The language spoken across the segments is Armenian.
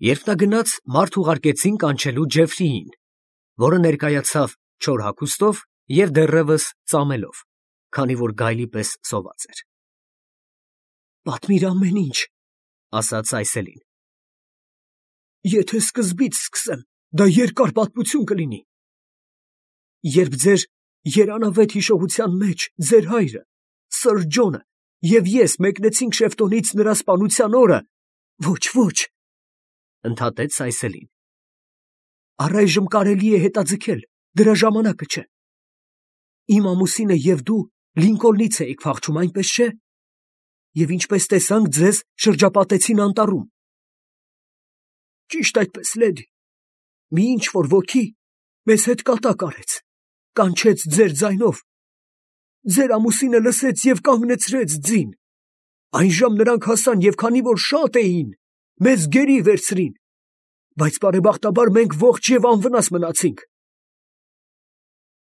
Երբ նա գնաց, մարդ ուղարկեցին կանչելու Ջեֆրիին, որը ներկայացավ չոր հագուստով և դեռևս ծամելով, քանի որ գայլի պես սոված էր։ «Պատմիր ամեն ինչ, ֊ ասաց Այսելին։ ֊ Եթե սկզբից սկսեմ, դա երկար պատմություն կլինի։ Երբ ձեր երանավետ հիշողության մեջ ձեր հայրը, սըր Ջոնը և ես մեկնեցինք Շեֆտոնից նրա սպանության օրը, ոչ, ընդհատեց Այսելին, առայժմ կարելի է հետաձգել, դրա ժամանակը չէ։ Իմ ամուսինը և դու Լինկոլնից էիք փախչում, այնպես չէ՞։ Եվ ինչպես տեսանք, ձեզ շրջապատեցին անտառում։ Ճիշտ այդպես, լեդի, մի ինչ-որ ոգի մեզ հետ կատակ արեց, կանչեց ձեր ձայնով։ Ձեր ամուսինը լսեց և կանգնեցրեց ձին։ Այնժամ նրանք հասան և քանի որ շատ էին, մեզ գերի վերցրին, բայց բարեբախտաբար մենք ողջ և անվնաս մնացինք։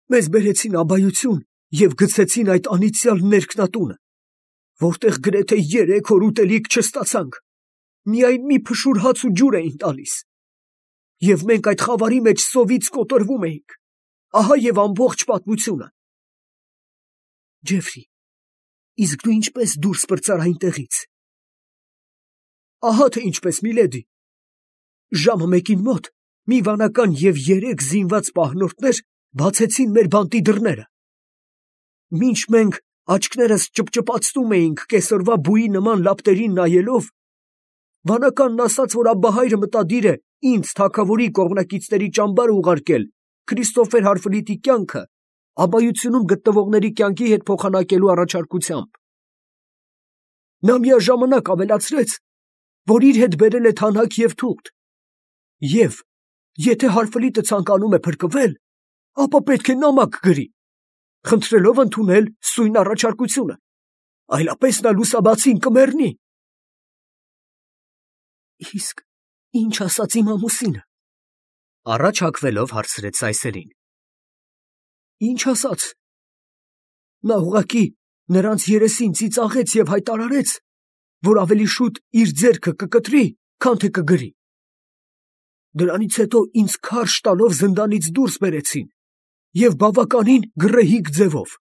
Մեզ բերեցին աբայություն և գցեցին այդ անիծյալ ներքնատունը, որտեղ գրեթե 3 օր ուտելիք չստացանք, միայն մի փշուր հաց ու ջուր էին տալիս։ Եվ մենք այդ խավարի մեջ սովից կոտրվում էինք։ Ահա և ամբողջ պատմությունը։ Ջեֆրի, իսկ դու ինչպես դուրս պրծար այնտեղից։ Ահա թե ինչպես, միլեդի։ Ժամը 1-ին մոտ մի վանական և 3 զինված պահնորդներ բացեցին մեր բանտի դռները։ Մինչ մենք աչքներս ճպճպացնում էինք կեսօրվա բուի նման լապտերին նայելով, վանականն ասաց, որ աբբահայրը մտադիր է ինձ թագավորի կողմնակիցների ճամբար ուղարկել Քրիստոֆեր Հարֆլիտի կյանքը աբայությունում գտնվողների կյանքի հետ փոխանակելու առաջարկությամբ։ Նա միաժամանակ ավելացրեց, որ իր հետ բերել է թանաք և թուղթ, և եթե Հարֆլիտը ցանկանում է փրկվել, ապա պետք է նամակ գրի, խնդրելով ընդունել սույն առաջարկությունը, այլապես նա լուսաբացին կմեռնի։ Իսկ ինչ ասաց իմ ամուսինը, առաջ հագվելով հարցրեց Այսելին։ Ինչ ասաց։ Նա ուղղակի նրանց երեսին ծիծաղեց և հայտարարեց, որ ավելի շուտ իր ձեռքը կկտրի, քան թե կգրի։ Դրանից հետո ինձ քարշ տալով զնդանից դուրս բերեցին և բավականին գռեհիկ ձևով,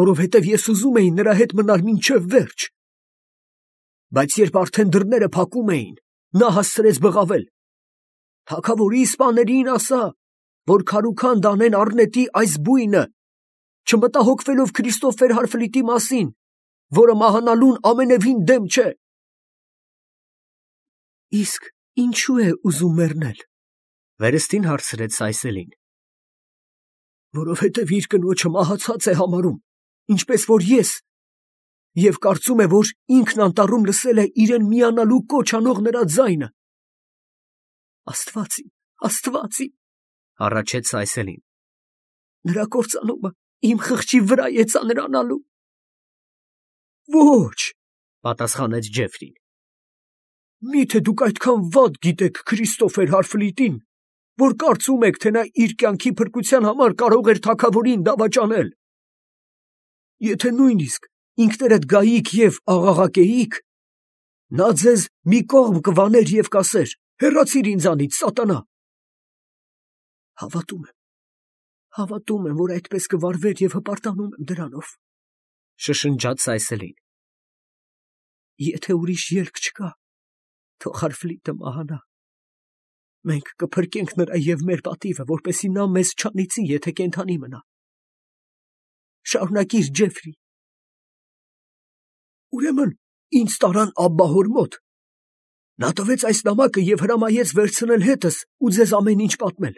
որովհետև ես ուզում էի նրա հետ մնալ մինչև վերջ։ Բայց երբ արդեն դռները փակում էին, նա հասցրեց բղավել. «Թագավորի սպաներին ասա, որ քարուքանդ անեն առնետի այս բույնը, չմտահոգվելով Քրիստոֆեր Հարֆլիտի մասին, որը մահանալուն ամենևին դեմ չէ»։ Իսկ ինչու է ուզում մեռնել, վերստին հարցրեց Այսելին։ Որովհետև իր կնոջը մահացած է համարում, ինչպես որ ես, և կարծում է, որ ինքն անտառում լսել է իրեն միանալու կոչ անող նրա ձայնը։ Աստված իմ, հառաչեց Այսելին։ Նրա կործանումը իմ խղճի վրա է ծանրանալու։ Ոչ, պատասխանեց Ջեֆրին։ Միթե դուք այդքան վատ գիտեք Քրիստոֆեր Հարֆլիտին, որ կարծում եք, թե նա իր կյանքի փրկության համար կարող էր թագավորին դավաճանել։ Եթե նույնիսկ ինքներդ գայիք և աղաղակեիք, նա ձեզ մի կողմ կվաներ և կասեր. «Հեռացիր ինձանից, սատանա»։ Հավատում եմ, որ այդպես կվարվեր և հպարտանում եմ դրանով, շշնջաց Այսելին։ Եթե ուրիշ ելք չկա, թող Հարֆլիտը մահանա։ Մենք կփրկենք նրա և մեր պատիվը, որպեսզի նա մեզ չանիծի, եթե կենդանի մնա։ Շարունակիր, Ջեֆրի։ Ուրեմն ինձ տարան աբբահոր մոտ։ Նա տվեց այս նամակը և հրամայեց վերցնել հետս ու ձեզ ամեն ինչ պատմել։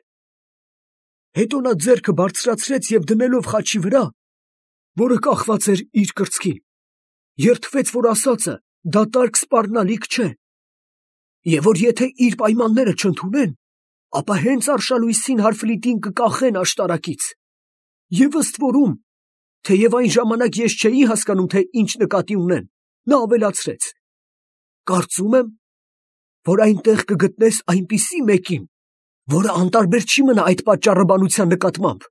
Հետո նա ձեռքը բարձրացրեց և դնելով խաչի վրա, որը կախված էր իր կրծքին, երդվեց, որ ասածը դատարկ սպառնալիք չէ, և որ եթե իր պայմանները չընդունեն, ապա հենց արշալույսին Հարֆլիտին կկախեն աշտարակից։ Եվ ըստ որում, թեև այն ժամանակ ես չէի հասկանում, թե ինչ նկատի ունեն, նա ավելացրեց. կարծում եմ, որ այնտեղ կգտնես այնպիսի մեկին, որը անտարբեր չի մնա այդ պատճառաբանության նկատմամբ։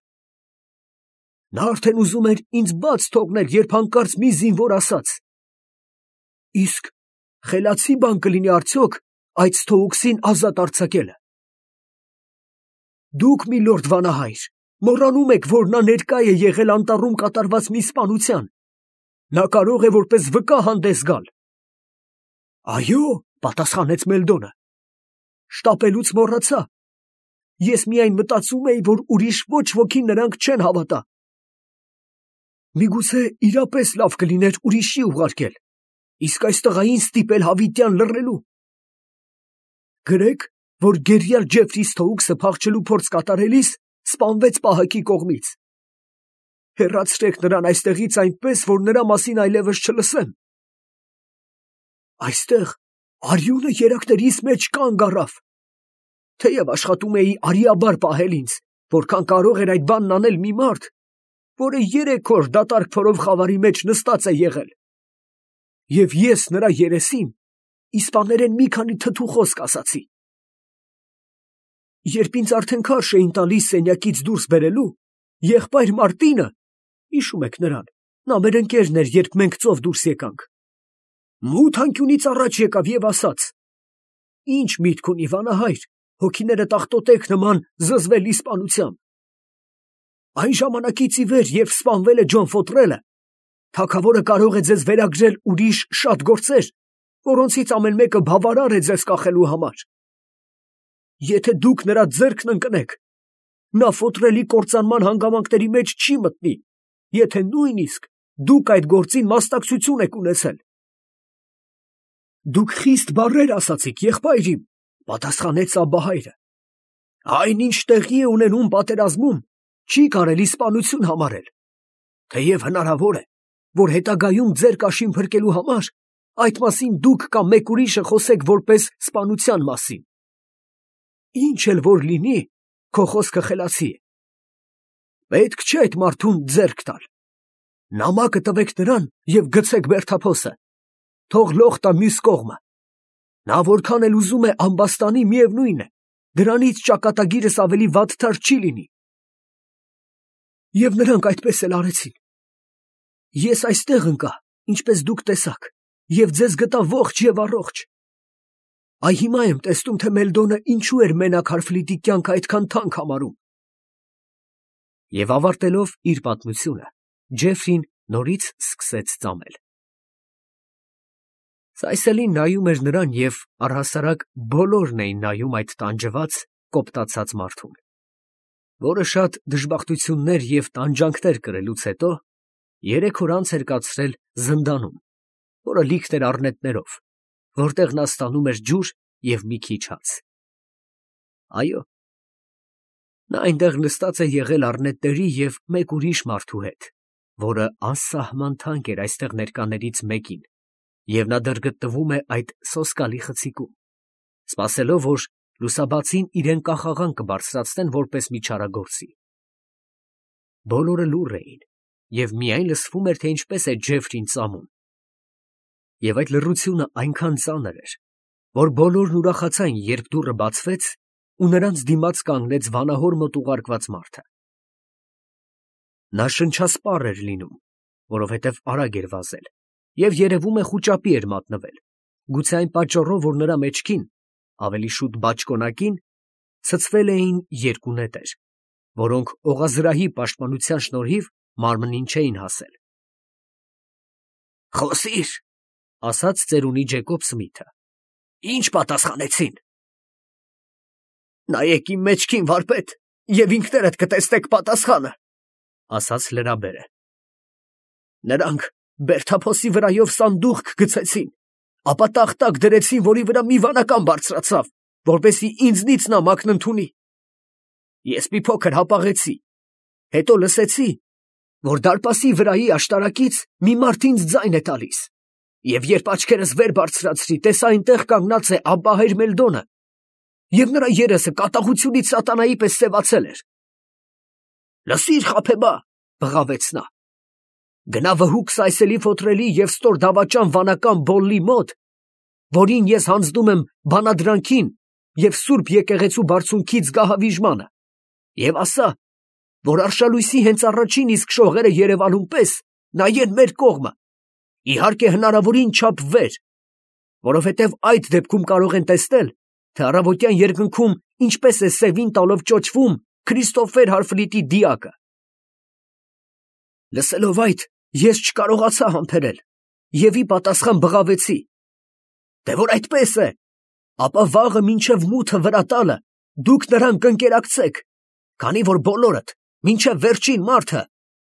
Նա արդեն ուզում էր ինձ բաց թողնել, երբ հանկարծ մի զինվոր ասաց. իսկ խելացի բան կլինի արդյոք այդ Սթոուքսին ազատ արձակելը։ Դուք, միլորդ վանահայր, մոռանում եք, որ նա ներկա է եղել անտառում կատարված մի սպանության. նա կարող է որպես վկա հանդես գալ։ Այո, պատասխանեց Մելդոնը, շտապելուց մոռացա։ Ես միայն մտածում էի, որ ուրիշ ոչ ոքի նրանք չեն հավատա։ Միգուցե իրապես լավ կլիներ ուրիշի ուղարկել, իսկ այս տղային ստիպել հավիտյան լռելու։ Գրեք, որ գերիալ Ջեֆրի Սթոուքսը փախչելու փորձ կատարելիս սպանվեց պահակի կողմից։ Հեռացրեք նրան այստեղից այնպես, որ նրա մասին այլևս չլսեմ։ Այստեղ արյունը երակներիս մեջ կանգ առավ։ Թեև աշխատում էի արիաբար պահել ինձ, որքան կարող էր այդ բանն անել մի մարդ, որը 3 օր դատարկ փորով խավարի մեջ նստած է եղել։ Եվ ես նրա երեսին իսպաներեն մի քանի թթու խոսք ասացի։ Երբ ինձ արդեն քարշ էին տալիս սենյակից դուրս բերելու, եղբայր Մարտինը, հիշում եք նրան, նա մեր ընկերն էր, երբ մենք ծով դուրս եկանք, մութ անկյունից առաջ եկավ եւ ասաց. «Ինչ միտք ունի վանահայր, հոգիները տախտոտեք նման զզվել իսպանությամբ։ Այն ժամանակից ի վեր, երբ սպանվել է Ջոն Ֆոտրելը, թագավորը կարող է ձեզ վերագրել ուրիշ շատ գործեր, որոնցից ամեն մեկը բավարար է ձեզ կախելու համար։ Եթե դուք նրա ձեռքն ընկնեք, նա Ֆոտրելի կործանման հանգամանքների մեջ չի մտնի, եթե նույնիսկ դուք այդ գործին մասնակցություն եք ունեցել»։ Դուք խիստ բառեր ասացիք, եղբայր իմ, պատասխանեց Աբբահայրը։ Այնինչ տեղի է ունենում պատերազմում, չի կարելի սպանություն համարել, թեև հնարավոր է, որ հետագայում ձեր կաշին փրկելու համար այդ մասին դուք կամ մեկ ուրիշը խոսեք որպես սպանության մասին։ Ինչ էլ որ լինի, քո խոսքը խելացի է։ Պետք չէ այդ մարդուն ձեռք տալ։ Նամակը տվեք նրան և գցեք բերդափոսը, թող լող տա մյուս կողմը։ Նա որքան էլ ուզում է ամբաստանի, միևնույն է, դրանից ճակատագիրս ավելի վատթար չի լինի։ Եվ նրանք այդպես էլ արեցին։ Ես այստեղ ընկա, ինչպես դուք տեսաք, և ձեզ գտա ողջ և առողջ։ Այ հիմա եմ տեսնում, թե Մելդոնը ինչու էր մենակ Հարֆլիտի կյանքը այդքան թանկ համարում։ Եվ ավարտելով իր պատմությունը, Ջեֆրին նորից սկսեց ծամել։ Սայսելին նայում էր նրան, և առհասարակ բոլորն էին նայում այդ տանջված, կոպտացած մարդուն, որը շատ դժբախտություններ և տանջանքներ կրելուց հետո 3 օր անց էր կացրել զնդանում, որը լիքն էր առնետներով, որտեղ նա ստանում էր ջուր և մի քիչ հաց։ Այո, նա այնտեղ նստած է եղել առնետների և մեկ ուրիշ մարդու հետ, որը անսահման թանկ էր այստեղ ներկաներից մեկին, և նա դեռ գտնվում է այդ սոսկալի խցիկում, սպասելով, որ լուսաբացին իրեն կախաղան կբարձրացնեն որպես մի չարագործի։ Բոլորը լուռ էին, և միայն լսվում էր, թե ինչպես է Ջեֆրին ծամում։ Եվ այդ լռությունը այնքան ծանր էր, որ բոլորն ուրախացան, երբ դուռը բացվեց, ու նրանց դիմաց կանգնեց վանահոր մոտ ուղարկված մարդը։ Նա շնչասպառ էր լինում, որովհետև արագ էր վազել, և երևում է խուճապի էր մատնվել, գուցե այն պատճառով, որ նրա մեջքին, ավելի շուտ բաճկոնակին, ցցվել էին 2 նետեր, որոնք օղազրահի պաշտպանության շնորհիվ մարմնին չէին հասել։ «Խոսիր», ասաց ծերունի Ջեկոբ Սմիթը։ «Ինչ պատասխանեցին»։ «Նայեք իմ մեջքին, վարպետ, և ինքներդ կտեսնեք պատասխանը», ասաց լրաբերը։ «Նրանք բերդափոսի վրայով սանդուղք գցեցին, ապա տախտակ դրեցին, որի վրա մի վանական բարձրացավ, որպեսզի ինձնից նամակն ընդունի։ Ես մի փոքր հապաղեցի, հետո լսեցի, որ դարպասի վրայի աշտարակից մի մարդ ինձ ձայն է տալիս, և երբ աչքերս վեր բարձրացրի, տեսա այնտեղ կանգնած է Աբբահայր Մելդոնը, և նրա երեսը կատաղությունից սատանայի պես սևացել էր։ «Լսիր, խաբեբա», բղավեց նա, «գնա վհուկ Սայսելի Ֆոտրելի և ստոր դավաճան վանական Բոլլի մոտ, որին ես հանձնում եմ բանադրանքին և Սուրբ եկեղեցու բարձունքից գահավիժմանը, և ասա, որ արշալույսի հենց առաջին իսկ շողերը Երևանում պես նայեն մեր կողմը, իհարկե հնարավորին չափ վեր, որովհետև այդ դեպքում կարող են տեսնել, թե առավոտյան երկնքում ինչպես է սևին տալով ճոճվում Քրիստոֆեր Հարֆլիտի դիակը։ Լսելով այդ, ես չկարողացա համբերել և ի պատասխան բղավեցի. «Դե որ այդպես է, ապա վաղը մինչև մութը վրա տալը դուք նրան կընկերակցեք, քանի որ բոլորդ մինչև վերջին մարդը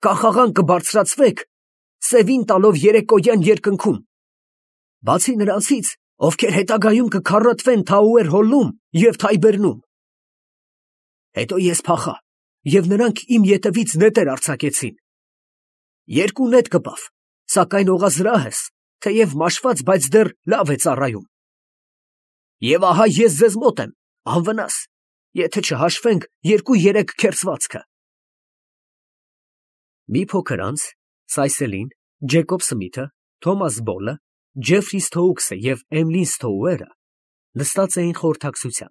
կախաղան կբարձրացվեք սևին տալով երեկոյան երկնքում։ Բացի նրանցից, ովքեր հետագայում կքառատվեն Թաուեր Հոլում և Թայբերնում»։ Հետո ես փախա, և նրանք իմ ետևից նետեր արձակեցին։ Երկու նետ կպավ, սակայն օղազրահս, թեև մաշված, բայց դեռ լավ է ծառայում։ Եվ ահա ես ձեզ մոտ եմ, անվնաս, եթե չհաշվենք 2-3 քերծվածքը։ Մի փոքր անց Սայսելին, Ջեկոբ Սմիթը, Թոմաս Բոլը, Ջեֆրի Սթոուքսը և Էմլին Սթոուերը նստած էին խորհրդակցության,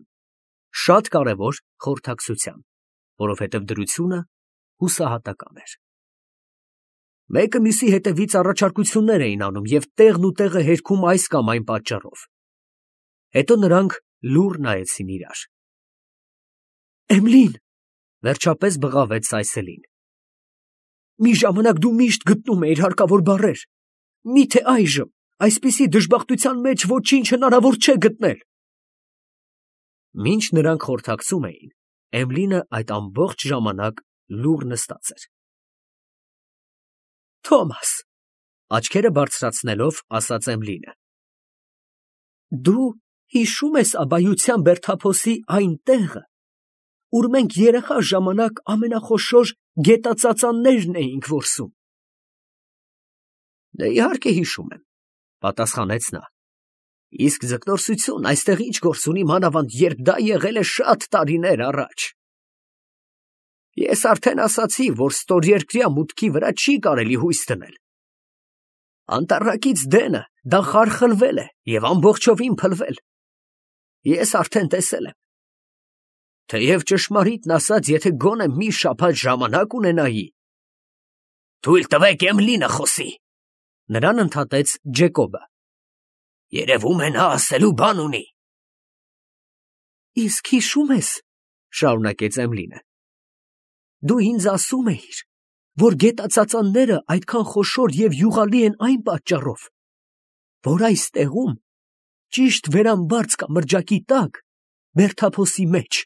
շատ կարևոր խորհրդակցության, որովհետև դրությունը հուսահատական էր։ Մեկը մյուսի հետևից առաջարկություններ էին անում և տեղն ու տեղը հերքում այս կամ այն պատճառով։ Հետո նրանք լուռ նայեցին իրար։ Էմլին, վերջապես բղավեց Սայսելին, մի ժամանակ դու միշտ գտնում էիր հարկավոր բառեր, միթե այժմ այսպիսի դժբախտության մեջ ոչինչ հնարավոր չէ գտնել։ Մինչ նրանք խորհրդակցում էին, Էմլինը այդ ամբողջ ժամանակ լուռ նստած էր։ Թոմաս, աչքերը բարձրացնելով, ասաց Էմլինը, դու հիշում ես Աբայության Բերդափոսի այն տեղը, ուր մենք երեխա ժամանակ ամենախոշոր գետածածաններն էինք որսում։ Դե իհարկե հիշում եմ, պատասխանեց նա։ Իսկ ձկնորսություն այստեղ ինչ գործ ունի, մանավանդ երբ դա եղել է շատ տարիներ առաջ։ Ես արդեն ասացի, որ ստորերկրյա մուտքի վրա չի կարելի հույս դնել։ Անտառակից դենը դա խարխլվել է և ամբողջովին փլվել։ Ես արդեն տեսել եմ։ Թեև ճշմարիտն ասած, եթե գոնե մի շաբաթ ժամանակ ունենայի… Թույլ տվեք Էմլինը խոսի, նրան ընդհատեց Ջեկոբը։ Երևում է նա ասելու բան ունի։ Իսկ հիշում ես, շարունակեց Էմլինը, դու ինձ ասում էիր, որ գետածածանները այդքան խոշոր և յուղալի են այն պատճառով, որ այս տեղում, ճիշտ վերամբարձ կամրջակի տակ, Բերդափոսի մեջ,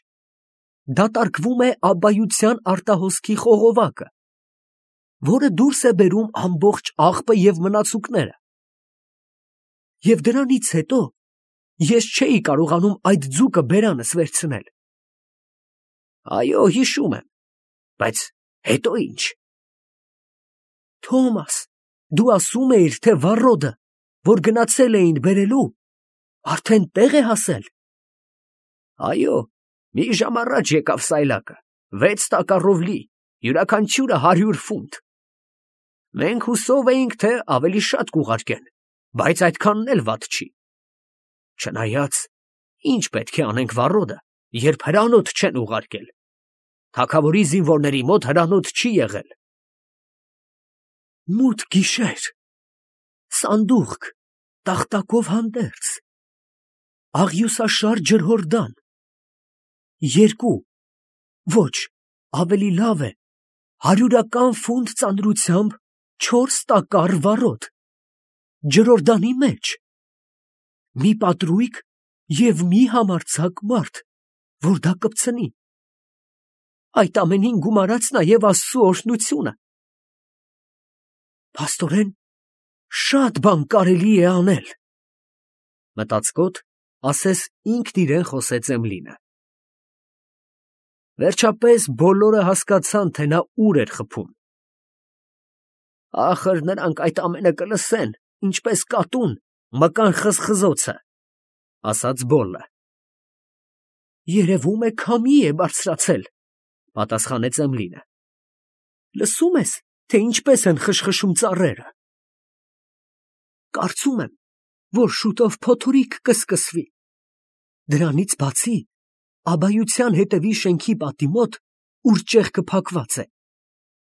դատարկվում է Աբբայության արտահոսքի խողովակը, որը դուրս է բերում ամբողջ աղբը և մնացուկները։ Եվ դրանից հետո ես չէի կարողանում այդ ձուկը բերանս վերցնել։ Այո, հիշում եմ, բայց հետո ինչ։ Թոմաս, դու ասում էիր, թե վառոդը, որ գնացել էին բերելու, արդեն տեղ է հասել։ Այո, մի ժամ առաջ եկավ սայլակը, 6 տակառով լի, յուրաքանչյուրը 100 ֆունտ։ Մենք հուսով էինք, թե ավելի շատ կուղարկեն, բայց այդքանն էլ վատ չի։ Չնայած, ինչ պետք է անենք վառոդը, երբ հրանոթ չեն ուղարկել։ Թագավորի զինվորների մոտ հրանոթ չի եղել։ Մութ գիշեր, սանդուղք, տախտակով հանդերձ, աղյուսաշար ջրհորդան, 2, ոչ, ավելի լավ է, 100 ֆունտ ծանրությամբ 4 տակառ վառոդ, ջրհորդանի մեջ, մի պատրույգ և մի համարձակ մարդ, որ դա կպցնի։ Այդ ամենին գումարած նաև Աստծու օրհնությունը։ Փաստորեն, շատ բան կարելի է անել։ Մտածկոտ, ասես ինքն իրեն խոսեց Էմլինը։ Վերջապես բոլորը հասկացան, թե նա ուր էր խփում։ Ախր նրանք այդ ամենը կլսեն, ինչպես կատուն, մկան խզխզոցը, ասաց Բոլլը։ Երևում է քամի է բարձրացել, պատասխանեց Էմլինը։ Լսում ես, թե ինչպես են խշխշում ծառերը։ Կարծում եմ, որ շուտով փոթորիկ կսկսվի։ Դրանից բացի, Աբայության հետևի շենքի պատի մոտ, ուր ճեղքը փակված է,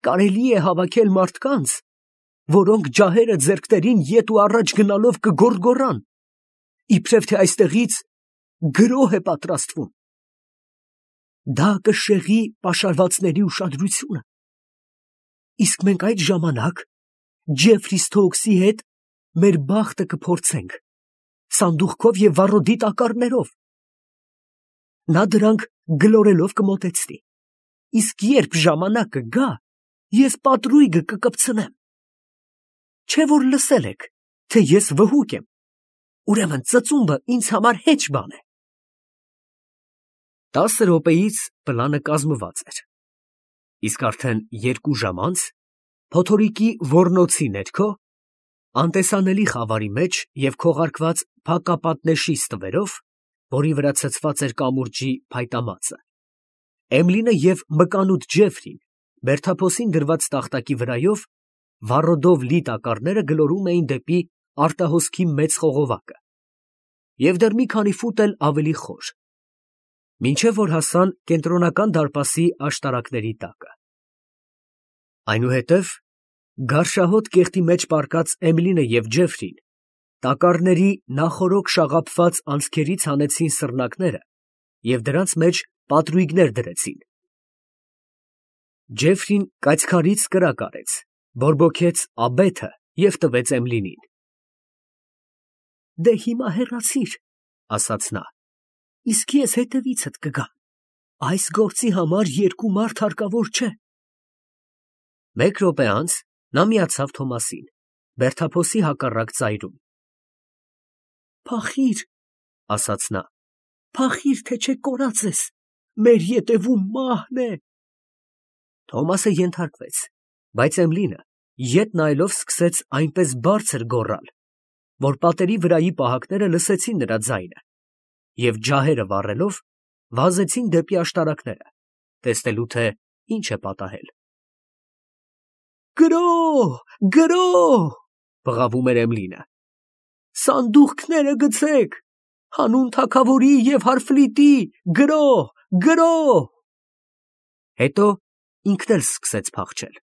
կարելի է հավաքել մարդկանց, որոնք ջահերը ձեռքներին ետ ու առաջ գնալով կգոռգոռան, իբրև թե այստեղից գրոհ է պատրաստվում։ Դա կշեղի պաշարվածների ուշադրությունը։ Իսկ մենք այդ ժամանակ Ջեֆրի Սթոուքսի հետ մեր բախտը կփորձենք սանդուղքով եւ վառոդի տակառներով։ Նա դրանք գլորելով կմոտեցնի, իսկ երբ ժամանակը գա, ես պատրույգը կկպցնեմ։ Չէ՞ որ լսել եք, թե ես վհուկ եմ, ուրեմն ծծումբը ինձ համար հեչ բան է։ 10 րոպեից պլանը կազմված էր, իսկ արդեն 2 ժամ անց փոթորիկի ոռնոցի ներքո, անտեսանելի խավարի մեջ և քողարկված փակապատնեշի ստվերով, որի վրա ցցված էր կամուրջի փայտամածը, Էմլինը և մկանուտ Ջեֆրին բերդափոսին դրված տախտակի վրայով վառոդով լի տակառները գլորում էին դեպի արտահոսքի մեծ խողովակը և դեռ մի քանի ֆուտ էլ ավելի խոր, մինչև որ հասան կենտրոնական դարպասի աշտարակների տակը։ Այնուհետև գարշահոտ կեղտի մեջ պառկած Էմլինը և Ջեֆրին տակառների նախօրոք շաղափված անցքերից հանեցին սռնակները և դրանց մեջ պատրույգներ դրեցին։ Ջեֆրին կայծքարից կրակ արեց, բորբոքեց աբեթը և տվեց Էմլինին։ «Դե հիմա հեռացիր», ասաց նա, «իսկ ես հետևիցդ կգամ, այս գործի համար 2 մարդ հարկավոր չէ»։ 1 րոպե անց նա միացավ Թոմասին, բերդափոսի հակառակ ծայրում։ «Փախի՛ր», ասաց նա, «փախի՛ր, թե չէ կորած ես, մեր ետևում մահն է»։ Թոմասը ենթարկվեց, բայց Էմլինը ետ նայելով սկսեց այնպես բարձր գոռալ, որ պատերի վրայի պահակները լսեցին նրա ձայնը և ջահերը վառելով վազեցին դեպի աշտարակները, տեսնելու թե ինչ է պատահել։ «Գրո՜հ, գրո՜հ», բղավում էր Էմլինը, «սանդուղքները գցեք, հանուն թագավորի և հարֆլիտի, գրո՜հ, գրո՜հ»։ Հետո ինքն էլ սկսեց փախչել։